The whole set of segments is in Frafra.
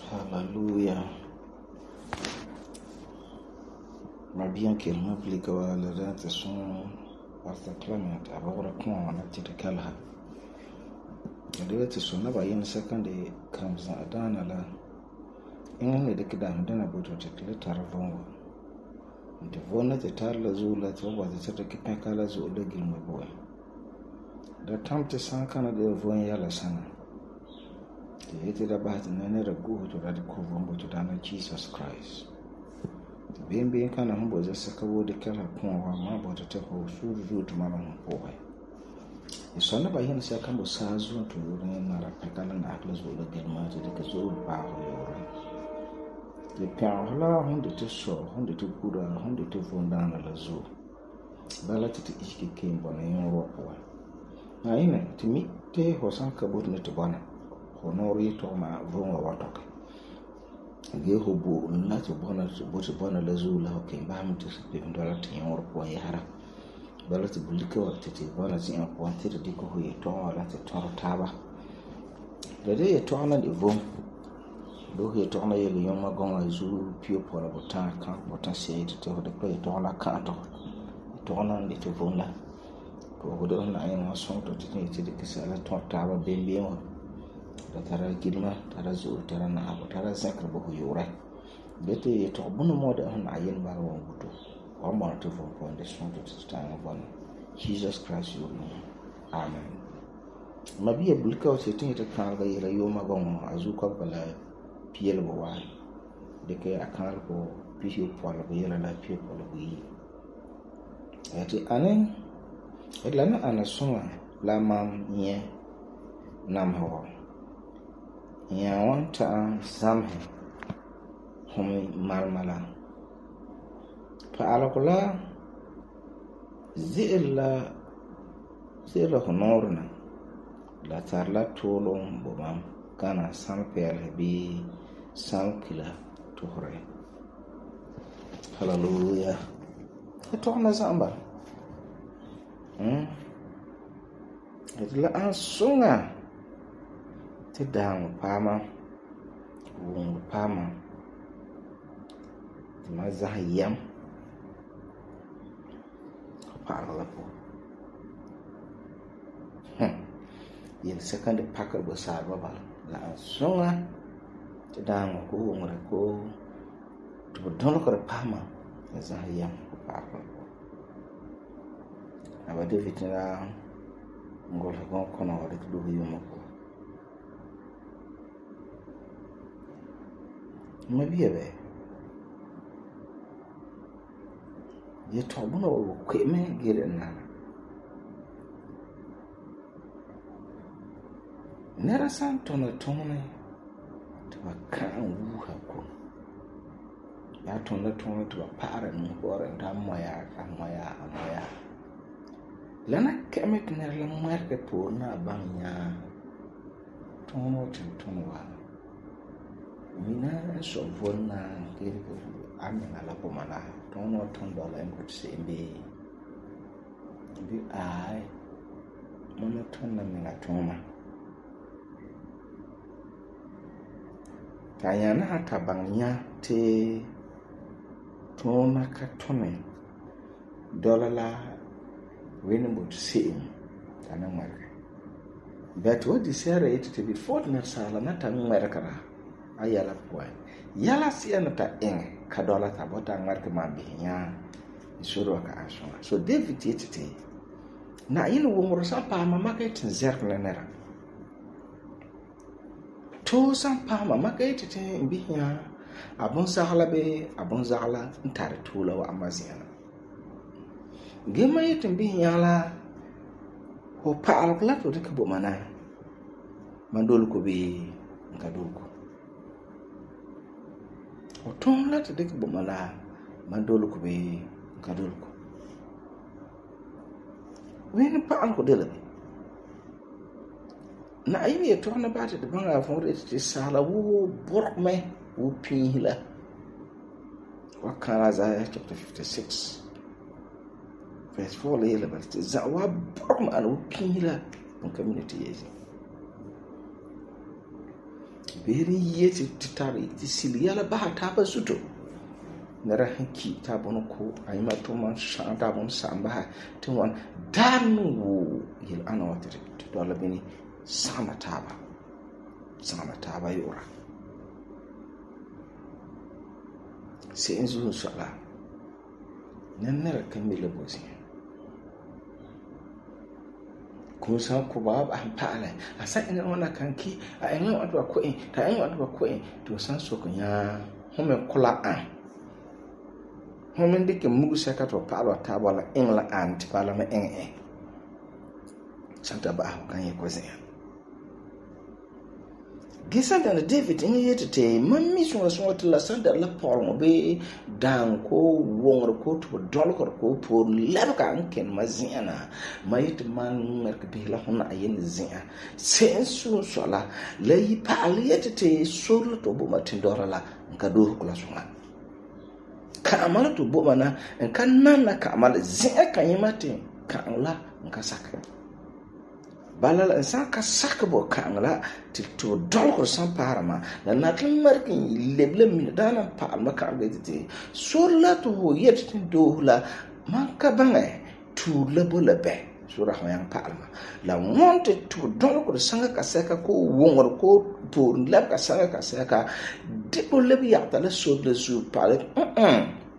Hallelujah. Mabiyan kelma blika wa la ta sun Pastor Clement abawra kuma na titikala. Da ta sunna ba yin second comes adana la in ne dake da dana boto tikle tarvon. Da vona ta tarla zula ta wa ta take kala zo da gilma boy. Da tamte san kana da von yala sana. Ite da ba ta ne da go to da ko von boto da na Jesus Christ. Being kana humbo za saka wode kala kuma ma boto ta ko suru to mama ko bai. Isonna ba yin sai kan bo sa zuwa to ne mara pakala na akla zo da gilma ta da zo ba ho yore. De pia hala hunde to so hunde to kura hunde to fonda na la zo. Bala ta iske kin bona yin ro ko. Na ina timi te hosan ka bot ne to bana. Honori to ma vonga watok. Ge hobo na to bona la zo la ke ba mu to pe ndola tin ro ko yara. Bala to bulika wa tete bona zin ko antir di ko hoye to la te to taba. Da de to na de vom. Do he to na yele yoma gonga zu pio pour la botan kan botan se to de ko to na kan to na de to vom la. Ko godo na ayi son to tete de kisala to taba bembe mo. Da tara gilma tara zo tara na abu tara zakar ba yura bete to bunu moda na yin ba won gudu wa ma to fo ko de son to stand upon Jesus Christ you know. Amen. Mabiya bulka wace tin ta kan ga yela yoma gon azu ko bala piel bo wa de ke akal ko piyo polo ko yela la piyo polo yi ati anen edlana ana soma la mam nye nam hawa ya wanta zamhe hum marmala fa alakula zilla honorna la tarla tolon bomam kana sampel bi sankila tuhre. Hallelujah. To na zamba la an sunga ti dang pama wung pama ti ma zahiyam parla po yin second packer bo sa baba la sunga ti dang ko wung ko to don ko pama zahiyam parla po aba de vitna ngol ko kono wa de do yuma ko mabiya be ye to bona o kweme gere na nera santo na tone to kan wu ha ko ya to na tone to para ni bore da moya lana keme tner la marke por na banya tono wa mina so vona kiri amena la pomana tono $10 en kut sembe bi ai mono tonna mina toma kayana hata bangnya te tona ka tone $1 la wenen bot sem kana marke but what is here it to be fortner sala na tan marka ayala poy yala siana ta ka $1 ta bota marke mambinya isuru ka asona so David yetete na yin wongoro sampa mama ka tin zerkle nera to sampa mama ka yetete mbinya abun zagla ntare tula wa amaziana gema yetin binya la ho pa alkla to de ko mana mandol ko be ngadoko o ton la to de ko mala mandol ko be ngadoko wen pa alko de la na ayimi to na ba de banga fon de sala wo borme wo pinhila wa kana Isaiah chapter 56 verse 4 le ba te zawa borm an wo pinhila on community yezi beheri yeti titari ti sili yala baha taba zuto nara hanki ta bono ko ayma to man shan ta bono samba ti wan darnu wo yel ana wati to dola bini sama taba yora se enzu sala nannara kamila bosi kun san ko ba pala asa ina wana kanki a ina wadwa ko ta ina wadwa ko to san so kunya home kula an home ndike mugu saka to pala ta bala ingla an ti pala ma santa ba kan ye ko zin Gisa da David in yete mammi so la sanda la Paul mo be dan ko wongor ko to dol ko por labka anken maziana mayit man merk be la hona ayen zia sensu sola la yi Paul yete solo to bo matindora la nkado ko la sona ka amala to bo mana kan nan ka amala zia kan yimate kan la nka saka balala san ka sakabo kangla ti to dolko san parama la natlan markin leble min dana palma ka gete so la to yet do la man ka banga tu lebola be sura hoyan palma la monte to dolko sanga ka saka ko wongor ko pour leb ka sanga ka saka debo lebi ya ta la so de su pale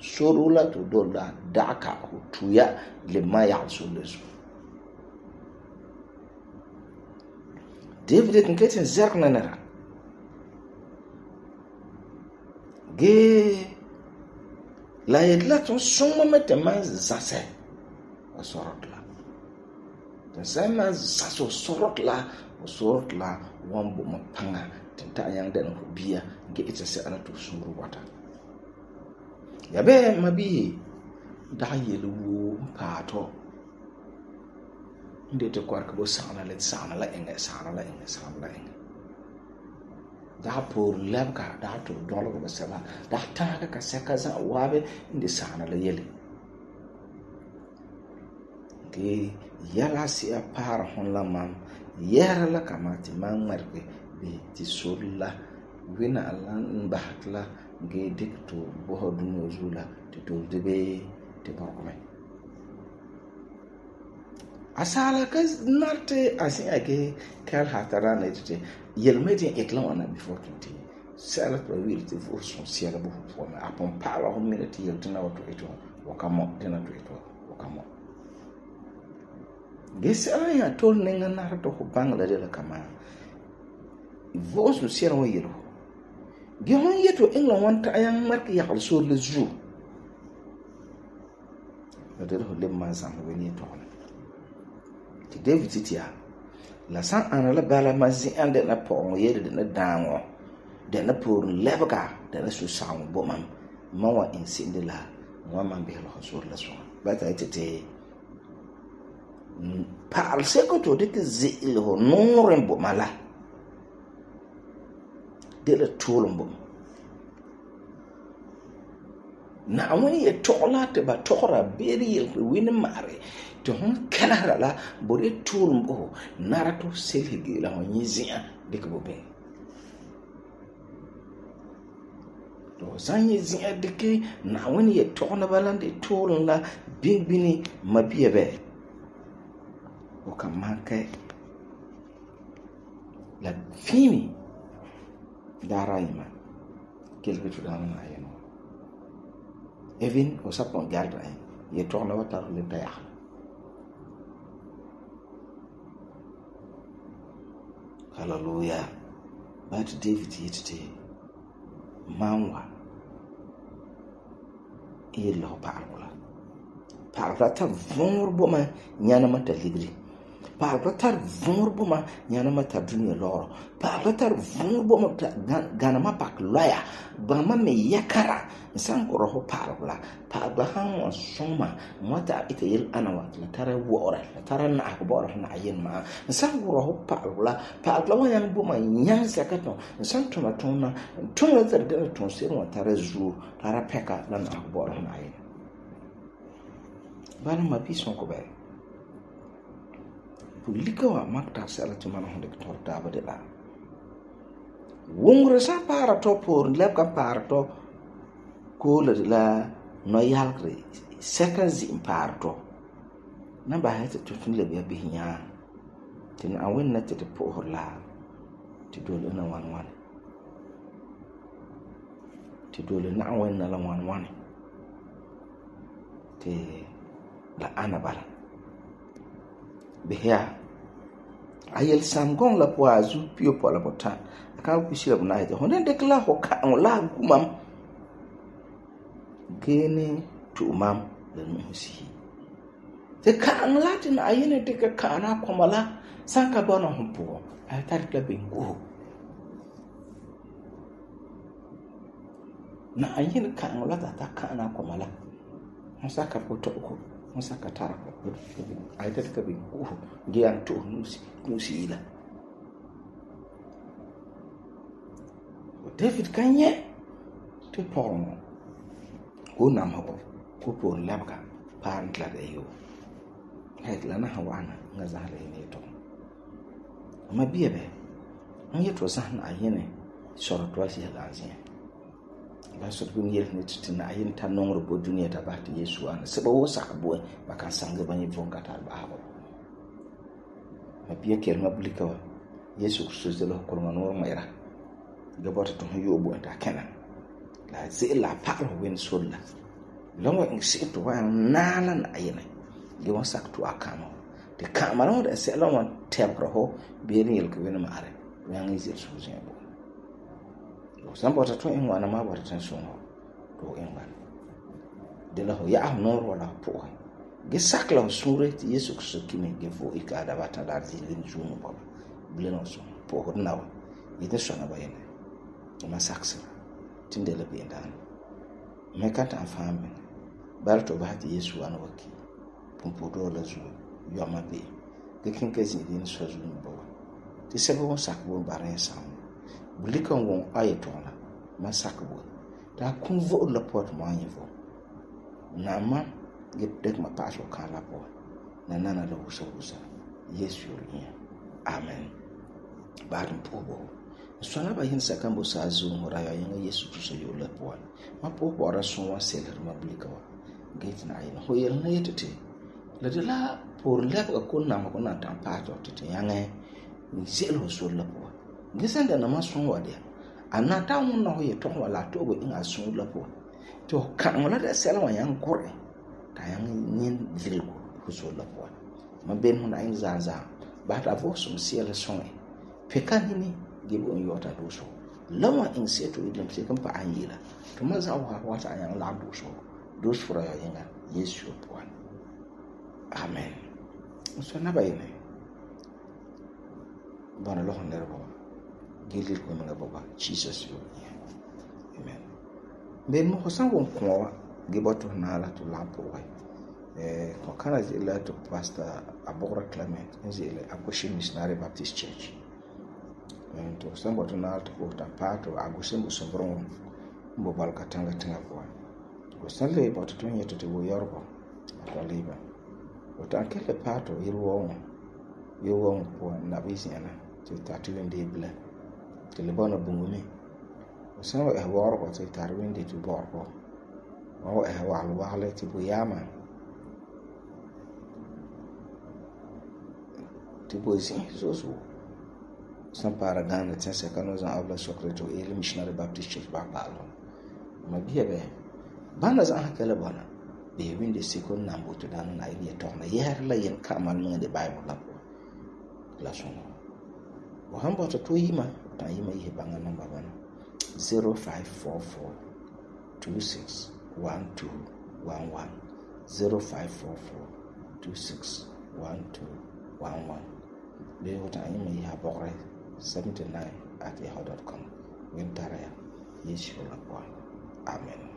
so la to do la daka ko tuya le maya so le su David kan ketin zarna nara ge la yedla ton soma mete man zase asorotla ta sama zaso sorotla wambo mapanga tenta yang den biya ge ita se ana to suru wata yabe mabi da yelu pato inde te kwarka bo sana la enge da por labka da to dolo ko sala da ta ka saka za wabe inde sana la yele ke yala si a par hon la man yara la kamati man marke be ti sulla wina alan bahatla ge dikto bo hodunyo zula ti to debe te bakome asala ka narte asin ake kal hatara na tete yelmedin eklan wana before 20 sala to will te for son siala bu for me apon pala ho minute yel tena wato eto wakamo tena to eto wakamo gesala ya tol nenga na to ko bangla de la kama vos no siala wa yelo ge hon yeto englan wanta ayan marke ya al so le zu de ho le manzam weni to David titia la san ana la bala mazi ande na pon yede de na danwo de na por lebga de na su sawo bomam mawa insinde la wa man be lo sur la so ba ta tete par seko to de zi lo noren bomala de la tolum bom na woni e tola te ba tora beri yel wini mare to hon kanara la bore turumbo narato selhigi la nyizia dikbo be to sanye zia dike na woni e tona balande turun la bingbini mabiye be o kamake la fini daraima quelque chose dans la yeno even o sapon garda ye tona wata le taya Hallelujah. But David yetete manwa ilo parla ta vor boma nyana mata ligri parla ta vor boma nyana mata dunya loro parla ta vor boma gana ma pak loya ba ma me yakara san ko ro parla han soma mata ite yel anawa la tara wora la tara na ko bora na yin ma san ko ro parla wa yan boma nyan sakato san to na tona da ton se mo tara zu tara peka la na ko bora na yin bana ma bi son ko be pulika wa makta sala to man honde torta abade la Wongre san paara tɔ pooren lebka paara tɔ koole de la noyalegre sɛka zi'in paara tɔ na ba hete to tun lebya bihi nyaa te na awinna te po'ohor la te dole na wan te dole na awinna la wan te la ana bala behya ayel samgong la po azu pio pola botan kan ku shira bna ite honen de kla ho ka la gumam gene tu mam la nusi te kan latin ayene de ka kana komala sanka bona humpo ay tar kla bengo na ayene kan la ta kana komala musaka poto ko musaka tara ko ay tar ka bengo gian tu nusi ila David kanye te Paul ko nam ho ko por labka pan kla de yo hay la na hawana nga zale ne to ma biebe an yeto san ayene soro to asi la azin ba so ko nyel ne titina ayin ta nongro bo duniya ta ba te Yesu an se ba wo sakbo ba kan sanga ba ni vonga ta ba ha ma biye kel ma bulika wa Yesu Kristus de lo ko ma no ma ira gabata to yobo ta kenan la zai la paro wen solla lawa in si to wa nana na ayina ge wan sak to akano de kamara da sai lawa tebro ho be ni yel ko wen ma are yan yi zai so zai bo san bota to in wana ma bota tan so to in ban de la ho ya no ro la po ge sak la sure ti Yesu Kristo kimi ge fo ikada bata dar zilin jumu bo bleno so po ho nawa ite so na bayene ma saksa tindela be ndan me kanta afambe bar to ba ti Yesu an waki pumpo do la zu yo ma be de kin kezi din so zu bo ti sebo sakbo bare sam bulikan won ayeto la ma sakbo ta kun vo la pot ma yivo na ma ge dek ma paso kala po na nana la usa Yesu ri amen barin pobo sona ba yin sakambo sa zu ngora ya yin Yesu Kristo yo la po ma po bora so wa seler ma blika wa gate na yin ho yel na yetete la de la por la ko na ma ko na ta pa to te yange ni sel ho so la po gisanda na ma so wa de ana ta mun na ho ye to wala to go in asu la po to kan wala da sel wa yan kore ta yang nin vilgo ho so la po ma ben ho na in zaza ba ta vo so sel so pekan ni gibo yota doso lawa in seto idem se kan pa anyila to maza wa wata ayan la doso dos fura ya yanga Yesu po amen so na bayene bana lo honder bo gilil ko nga baba Jesus yo amen ben mo hosan won ko giboto na la to la po ko kana la to pastor Abora Clement nzile Agoshi Missionary Baptist Church to sambo to na to ko ta pato Agoshi mo sombron mbo balka tanga ko ko salle bo to yeto to yorbo to liba o ta kele pato irwo po na bisiana to ta tuwende bla to le bona bungumi o sawo e worbo to ta wende to borbo o e wale to buyama tipo assim, so para Ghana tem secano za habla secreto ele missionary Baptist Church ba palo ma biebe bana za hakela bana be winde second number to dan na ile to na yer la yen kamal mun de Bible la sono o hamba to yima ta yima ihe banga number bana 0544 261211 0544 261211 be wota yima ihe bokre 79@yahoo.com. Wintara Yesu la kwa. Amen.